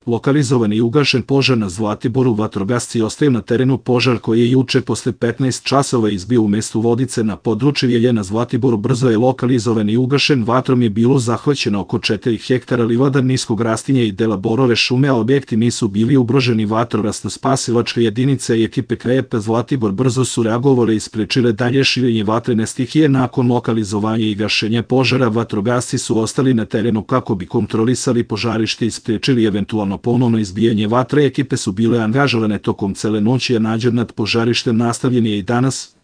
Lokalizovan i ugašen požar na Zlatiboru. Vatrogasci ostaju na terenu. Požar koji je juče posle 15 časova izbio u mestu Vodice na području Jelje na Zlatiboru brzo je lokalizovan i ugašen. Vatrom je bilo zahvaćeno oko 4 hektara livada niskog rastinja i dela borove šume, a objekti nisu bili ugroženi. Vatrogasno-spasilačke jedinice i ekipe KEP Zlatibor brzo su reagovale i sprečile dalje širenje vatrene stihije. Nakon lokalizovanja i gašenja požara, vatrogasci su ostali na terenu kako bi kontrolisali požarište i sprečili eventualno ponovno izbijanje vatre. Ekipe su bile angažovane tokom cele noći, a nadzor nad požarištem nastavljen je i danas.